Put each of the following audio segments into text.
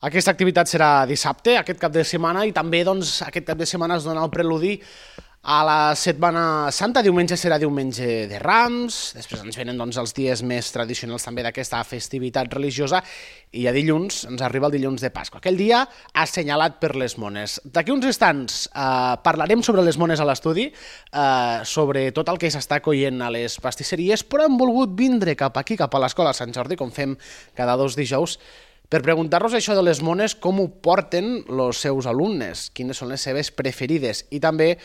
Aquesta activitat serà dissabte, aquest cap de setmana, i també aquest cap de setmana es dona el preludi a la Setmana Santa. Diumenge serà diumenge de Rams, després ens venen els dies més tradicionals també d'aquesta festivitat religiosa, i a dilluns ens arriba el dilluns de Pasqua, aquell dia assenyalat per les mones. D'aquí uns instants parlarem sobre les mones a l'estudi, sobre tot el que s'està coient a les pastisseries, però hem volgut vindre cap aquí, cap a l'Escola Sant Jordi, com fem cada 2 dijous, per preguntar-nos això de les mones, com ho porten els seus alumnes, quines són les seves preferides, i també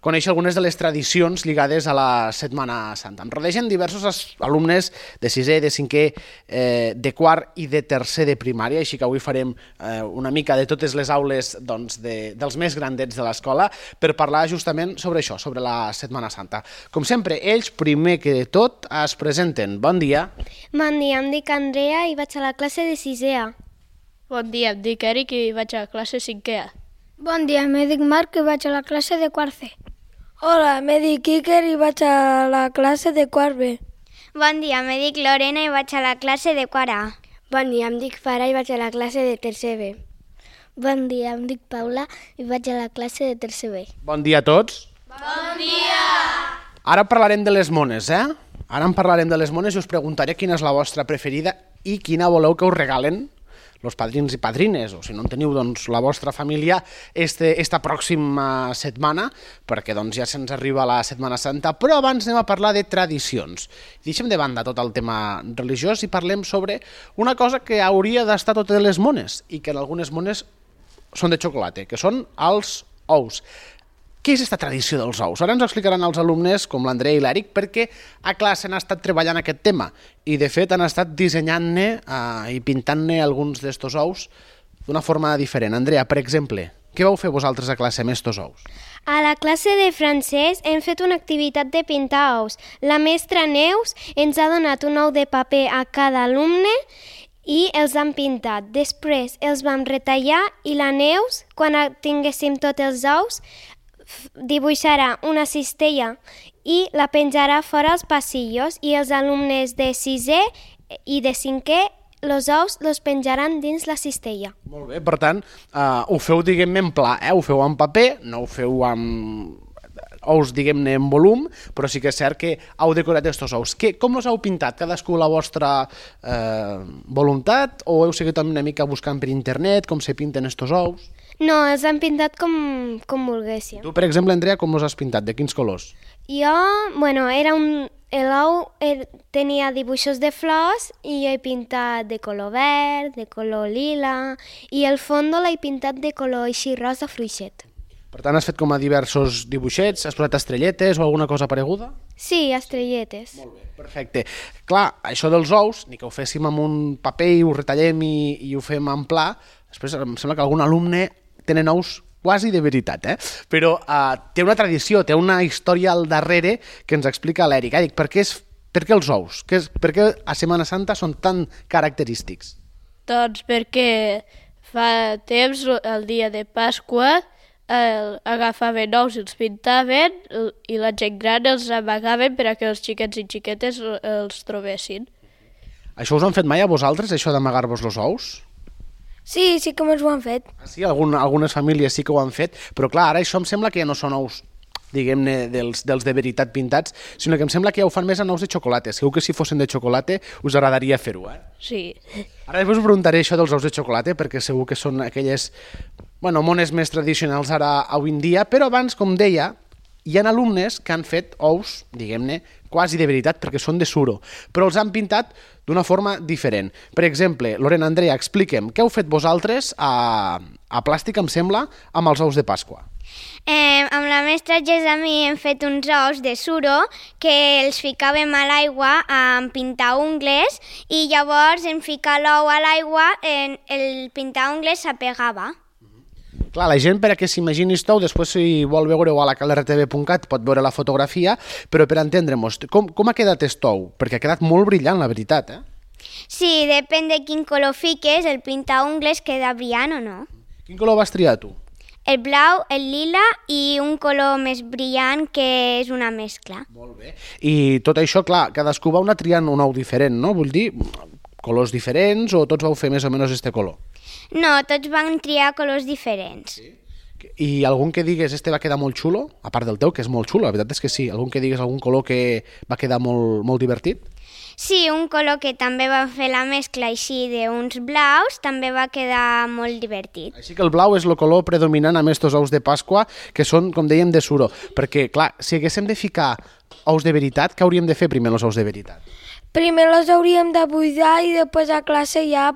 conèixer algunes de les tradicions lligades a la Setmana Santa. Em rodegen diversos alumnes de 6è, de 5è, de 4è i de 3è de primària, així que avui farem una mica de totes les aules dels més grandets de l'escola per parlar justament sobre això, sobre la Setmana Santa. Com sempre, ells, primer que tot, es presenten. Bon dia. Bon dia, em dic Andrea i vaig a la classe de 6è. Bon dia, em dic Eric i vaig a la classe 5è. Bon dia, em dic Marc i vaig a la classe de 4è. Hola, em dic Iker i vaig a la classe de 4B. Bon dia, em dic Lorena i vaig a la classe de 4A. Bon dia, em dic Farah i vaig a la classe de 3B. Bon dia, em dic Paula i vaig a la classe de 3B. Bon dia a tots. Bon dia! Ara parlarem de les mones, Ara en parlarem de les mones i us preguntaré quina és la vostra preferida i quina voleu que us regalen els padrins i padrines, o si no en teniu la vostra família esta pròxima setmana, perquè ja se'ns arriba la Setmana Santa, però abans anem a parlar de tradicions. Deixem de banda tot el tema religiós i parlem sobre una cosa que hauria d'estar a totes les mones i que en algunes mones són de xocolata, que són els ous. Què és aquesta tradició dels ous? Ara ens ho explicaran els alumnes, com l'Andrea i l'Eric, perquè a classe han estat treballant aquest tema i, de fet, han estat dissenyant-ne i pintant-ne alguns d'estos ous d'una forma diferent. Andrea, per exemple, què vau fer vosaltres a classe amb estos ous? A la classe de francès hem fet una activitat de pintar ous. La mestra Neus ens ha donat un ou de paper a cada alumne i els han pintat. Després els vam retallar i la Neus, quan tinguéssim tots els ous, dibuixarà una cistella i la penjarà fora als passillos, i els alumnes de 6è i de 5è els ous els penjaran dins la cistella. Molt bé, per tant, ho feu, diguem-ne, en pla, ho feu en paper, no ho feu amb ous, diguem-ne, en volum, però sí que és cert que heu decorat estos ous. Com els heu pintat? Cadascú la vostra voluntat, o heu seguit una mica buscant per internet com se pinten estos ous? No, els han pintat com volguéssim. Tu, per exemple, Andrea, com els has pintat? De quins colors? Jo, l'ou tenia dibuixos de flors i he pintat de color verd, de color lila, i el fondo l'he pintat de color així rosa fluixet. Per tant, has fet com a diversos dibuixets, has posat estrelletes o alguna cosa pareguda? Sí, estrelletes. Molt bé, perfecte. Clar, això dels ous, ni que ho féssim amb un paper i ho retallem i ho fem en pla, després em sembla que algun alumne tenen ous quasi de veritat, però té una tradició, té una història al darrere que ens explica l'Eric. Eric, per què els ous? Per què a Setmana Santa són tan característics? Doncs perquè fa temps, el dia de Pasqua, agafaven ous i els pintaven i la gent gran els amagaven perquè els xiquets i xiquetes els trobessin. Això us han fet mai a vosaltres, això d'amagar-vos els ous? Sí que ens ho han fet. Sí, algunes famílies sí que ho han fet, però clar, ara això em sembla que ja no són ous, diguem-ne, dels de veritat pintats, sinó que em sembla que ja ho fan més en ous de xocolata. Segur que si fossin de xocolata us agradaria fer-ho, Sí. Ara després us preguntaré això dels ous de xocolata, perquè segur que són aquelles mones més tradicionals ara avui en dia, però abans, com deia, hi ha alumnes que han fet ous, diguem-ne, quasi de veritat, perquè són de suro, però els han pintat d'una forma diferent. Per exemple, Lorena, Andrea, expliquem, què heu fet vosaltres a plàstic, em sembla, amb els ous de Pasqua? Amb la mestra Gesami hem fet uns ous de suro que els ficàvem a l'aigua amb pintaungles i llavors en ficar l'ou a l'aigua el pintaungles s'apegava. Clar, la gent, perquè s'imagini això, després si vol veure-ho a la calrtv.cat pot veure la fotografia, però per entendre-nos, com ha quedat estou? Perquè ha quedat molt brillant, la veritat, Sí, depèn de quin color fiques, el pintaungles queda brillant o no. Quin color vas triar tu? El blau, el lila i un color més brillant que és una mescla. Molt bé. I tot això, clar, cadascú va triant un ou diferent, no? Vull dir, colors diferents o tots vau fer més o menys este color? No, tots van triar colors diferents. I algun que digues, este va quedar molt xulo, a part del teu, que és molt xulo, la veritat és que sí, algun que digues algun color que va quedar molt divertit? Sí, un color que també va fer la mescla així d'uns blaus, també va quedar molt divertit. Així que el blau és el color predominant amb estos ous de Pasqua, que són, com dèiem, de suro. Perquè, clar, si haguéssim de ficar ous de veritat, què hauríem de fer primer els ous de veritat? Primer els hauríem de buidar i després a classe ja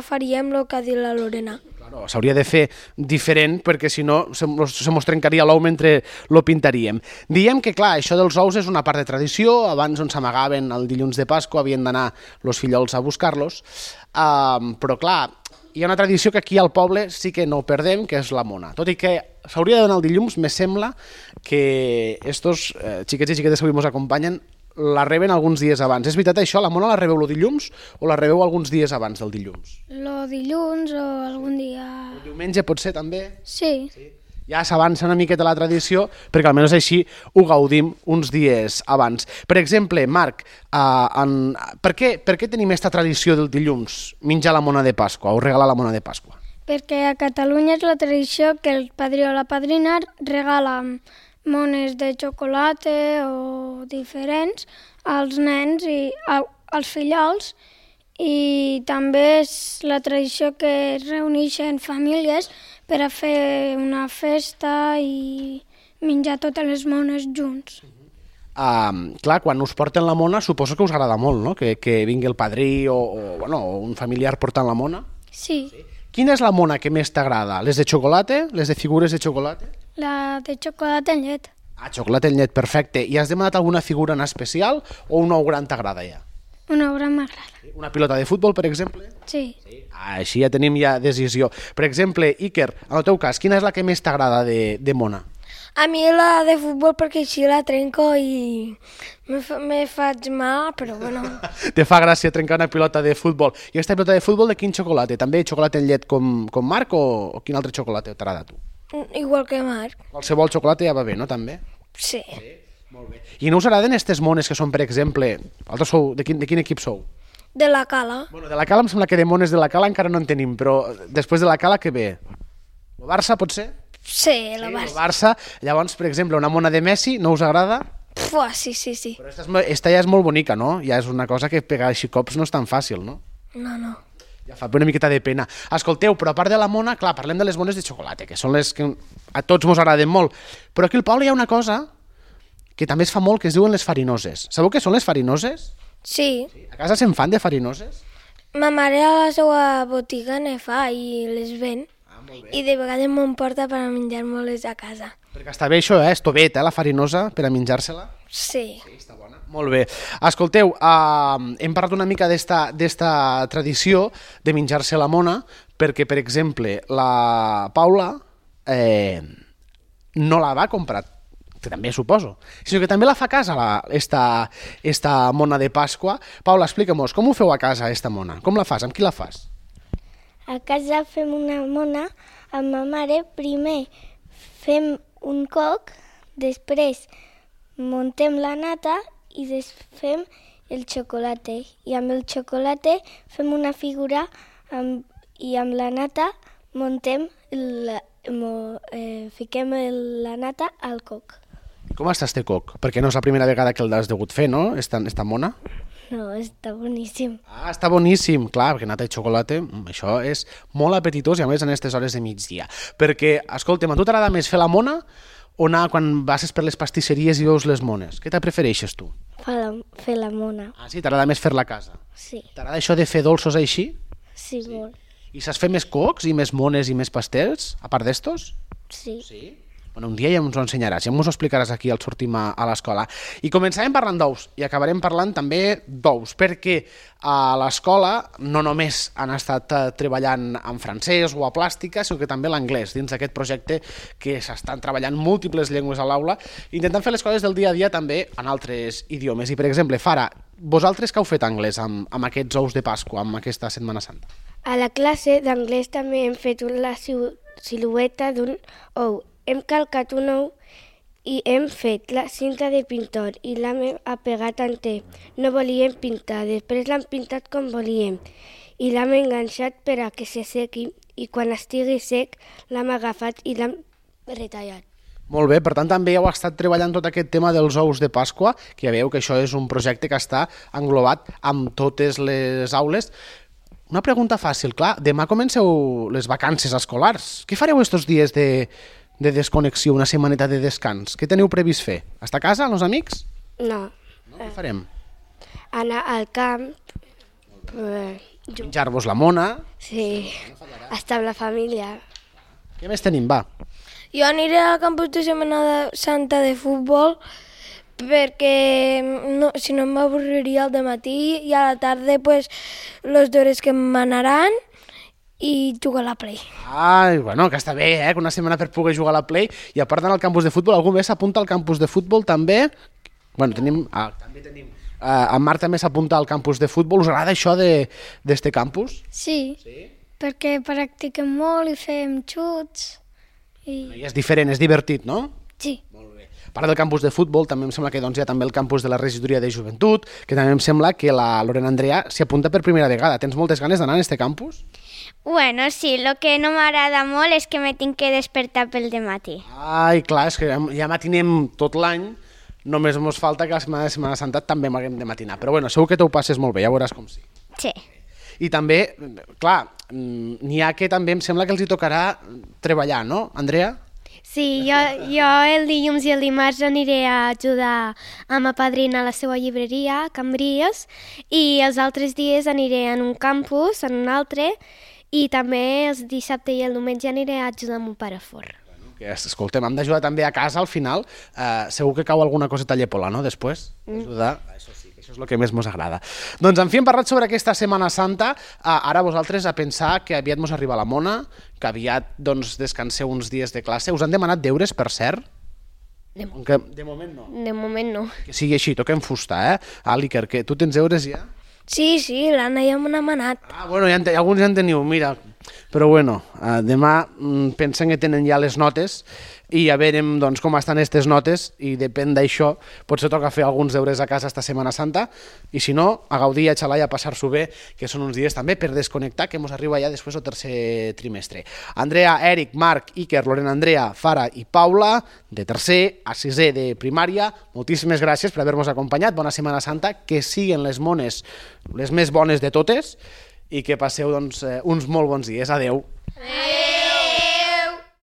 faríem el que ha dit la Lorena. Claro, s'hauria de fer diferent perquè si no se mos trencaria l'ou mentre lo pintaríem. Diem que, clar, això dels ous és una part de tradició, abans on s'amagaven el dilluns de Pasqua havien d'anar els fillols a buscar-los, però, clar, hi ha una tradició que aquí al poble sí que no perdem, que és la mona. Tot i que s'hauria de donar el dilluns, me sembla que estos xiquets i xiquetes que avui ens acompanyen la reben alguns dies abans. És veritat això? La mona la rebeu el dilluns o la rebeu alguns dies abans del dilluns? El dilluns o algun dia... El diumenge pot ser també? Sí. Ja s'avança una miqueta la tradició perquè almenys així ho gaudim uns dies abans. Per exemple, Marc, per què tenim aquesta tradició del dilluns, menjar la mona de Pasqua o regalar la mona de Pasqua? Perquè a Catalunya és la tradició que el padrí o la padrina regala mones de xocolata o diferents als nens i als fillols, i també és la tradició que es reuneixen famílies per a fer una festa i menjar totes les mones junts. Clar, quan us porten la mona suposo que us agrada molt, no? Que vingui el padrí o un familiar portant la mona. Sí. Quina és la mona que més t'agrada? Les de xocolata? Les de figures de xocolata? La de xocolata en llet. Xocolata en llet, perfecte. I has demanat alguna figura en especial o un ou gran t'agrada ja? Una obra m'agrada. Una pilota de futbol, per exemple? Sí. Així ja tenim decisió. Per exemple, Iker, en el teu cas, quina és la que més t'agrada de mona? A mi la de futbol perquè així la trenco i me faig mal, però bueno. Te fa gràcia trencar una pilota de futbol. I aquesta pilota de futbol de quin xocolata? També xocolata en llet com Marc o quin altre xocolata t'agrada a tu? Igual que Marc. Qualsevol xocolata ja va bé, no, també? Sí. Molt bé. I no us agraden aquestes mones que són, per exemple, vosaltres sou, de quin equip sou? De la Cala. Bueno, de la Cala em sembla que de mones de la Cala encara no en tenim, però després de la Cala què ve? El Barça, pot ser? Sí, el Barça. El Barça. Llavors, per exemple, una mona de Messi, no us agrada? Sí. Però esta ja és molt bonica, no? Ja és una cosa que pegar així cops no és tan fàcil, no? No. Ja fa una miqueta de pena. Escolteu, però a part de la mona, clar, parlem de les mones de xocolata, que són les que a tots mos agraden molt. Però aquí al poble hi ha una cosa que també es fa molt, que es diuen les farinoses. Sabeu què són les farinoses? Sí. A casa se'n fan de farinoses? Ma mare a la seva botiga ne fa i les ven. I de vegades m'emporta per a menjar-me-les a casa. Perquè està bé això, és tovet, la farinosa, per a menjar-se-la? Sí. Sí, està bona. Molt bé. Escolteu, hem parlat una mica d'esta tradició de menjar-se la mona, perquè, per exemple, la Paula no la va comprar, que també suposo, sinó que també la fa a casa, esta mona de Pasqua. Paula, explica-mos, com ho feu a casa, esta mona? Com la fas? Amb qui la fas? A casa fem una mona amb ma mare. Primer fem un coc, després muntem la nata i fem el xocolata. I amb el xocolata fem una figura i amb la nata fiquem la nata al coc. Com està este coc? Perquè no és la primera vegada que l'has degut fer, no? Esta mona? No, està boníssim. Està boníssim, clar, perquè nata i xocolata, això és molt apetitós i a més en aquestes hores de migdia. Perquè, escolta'm, a tu t'agrada més fer la mona o anar quan passes per les pastisseries i veus les mones? Què te prefereixes tu? Fer la mona. Ah, sí? T'agrada més fer-la a casa? Sí. T'agrada això de fer dolços així? Sí, molt. I saps fer més cocs i més mones i més pastels, a part d'estos? Sí. Sí? Bueno, un dia ja ens ho ensenyaràs, ja ens ho explicaràs aquí al sortim a l'escola. I començarem parlant d'ous i acabarem parlant també d'ous, perquè a l'escola no només han estat treballant en francès o a plàstica, sinó que també l'anglès, dins d'aquest projecte que s'estan treballant múltiples llengües a l'aula, intentant fer les coses del dia a dia també en altres idiomes. I, per exemple, Fara, vosaltres què heu fet anglès amb aquests ous de Pasqua, amb aquesta Setmana Santa? A la classe d'anglès també hem fet la silueta d'un ou. Hem calcat un ou i hem fet la cinta de pintor i l'hem apegat en té. No volíem pintar, després l'hem pintat com volíem. i l'hem enganxat per a que se sequi i quan estigui sec l'hem agafat i l'hem retallat. Molt bé, per tant també heu estat treballant tot aquest tema dels ous de Pasqua, que ja veieu que això és un projecte que està englobat amb totes les aules. Una pregunta fàcil, clar, demà comenceu les vacances escolars. Què fareu estos dies de desconnexió, una setmaneta de descans? Què teniu previst fer? Estar a casa, amb els amics? No, Què farem? anar al camp, Menjar-vos la mona? sí, estar amb la família. Què més tenim, va? Jo aniré al campus de Setmana Santa de futbol perquè si no m'avorriria al matí i a la tarda pues, los deures que m'anaran i jugar a la Play. Ai, bueno, que està bé, que una setmana per poder jugar a la Play. I a part d'anar al campus de futbol, algú més s'apunta al campus de futbol també? Bueno, també tenim... en Marc també s'apunta al campus de futbol. Us agrada això d'este campus? Sí, perquè practiquem molt i fem xuts. I és diferent, és divertit, no? Sí. A part del campus de futbol, també em sembla que doncs, hi ha també el campus de la regidoria de joventut, que també em sembla que la Lorena Andrea s'hi apunta per primera vegada. Tens moltes ganes d'anar a este campus? Bueno, sí, el que no m'agrada molt és que me tinc que despertar pel dematí. Ai, clar, és que ja matinem tot l'any, només ens falta que la setmana de Setmana Santa també m'haguem de matinar. Però bueno, segur que t'ho passes molt bé, ja veuràs com sí. Sí. I també, clar, n'hi ha que també em sembla que els hi tocarà treballar, no, Andrea? Sí, jo el dilluns i el dimarts aniré a ajudar a ma padrina a la seva llibreria, a Cambrils, i els altres dies aniré en un campus, en un altre, i també els dissabte i el diumenge aniré a ajudar a mon pare a forn. Que, escolta'm, hem d'ajudar també a casa al final. Segur que cau alguna coseta llepola, no?, després? Ajudar, això sí, que això és el que més mos agrada. Doncs, en fi, hem parlat sobre aquesta Setmana Santa. Ara vosaltres a pensar que aviat mos arriba la mona, que aviat doncs, descanseu uns dies de classe. Us han demanat deures, per cert? De moment no. De moment no. Que sigui així, toquem fusta, l'Iker, que tu tens deures ja? Sí, l'Anna ja me n'ha manat. Bueno, alguns ja en teniu, mira. Però bueno, demà pensen que tenen ja les notes i ja veurem doncs, com estan aquestes notes i depèn d'això, potser toca fer alguns deures a casa esta Setmana Santa i si no, a gaudir, a xalar i a passar-s'ho bé, que són uns dies també per desconnectar, que ens arriba ja després el tercer trimestre. Andrea, Eric, Marc, Iker, Lorena Andrea, Fara i Paula, de tercer a sisè de primària, moltíssimes gràcies per haver-nos acompanyat, bona Setmana Santa, que siguin les mones les més bones de totes i que passeu doncs, uns molt bons dies. Adeu. Adeu.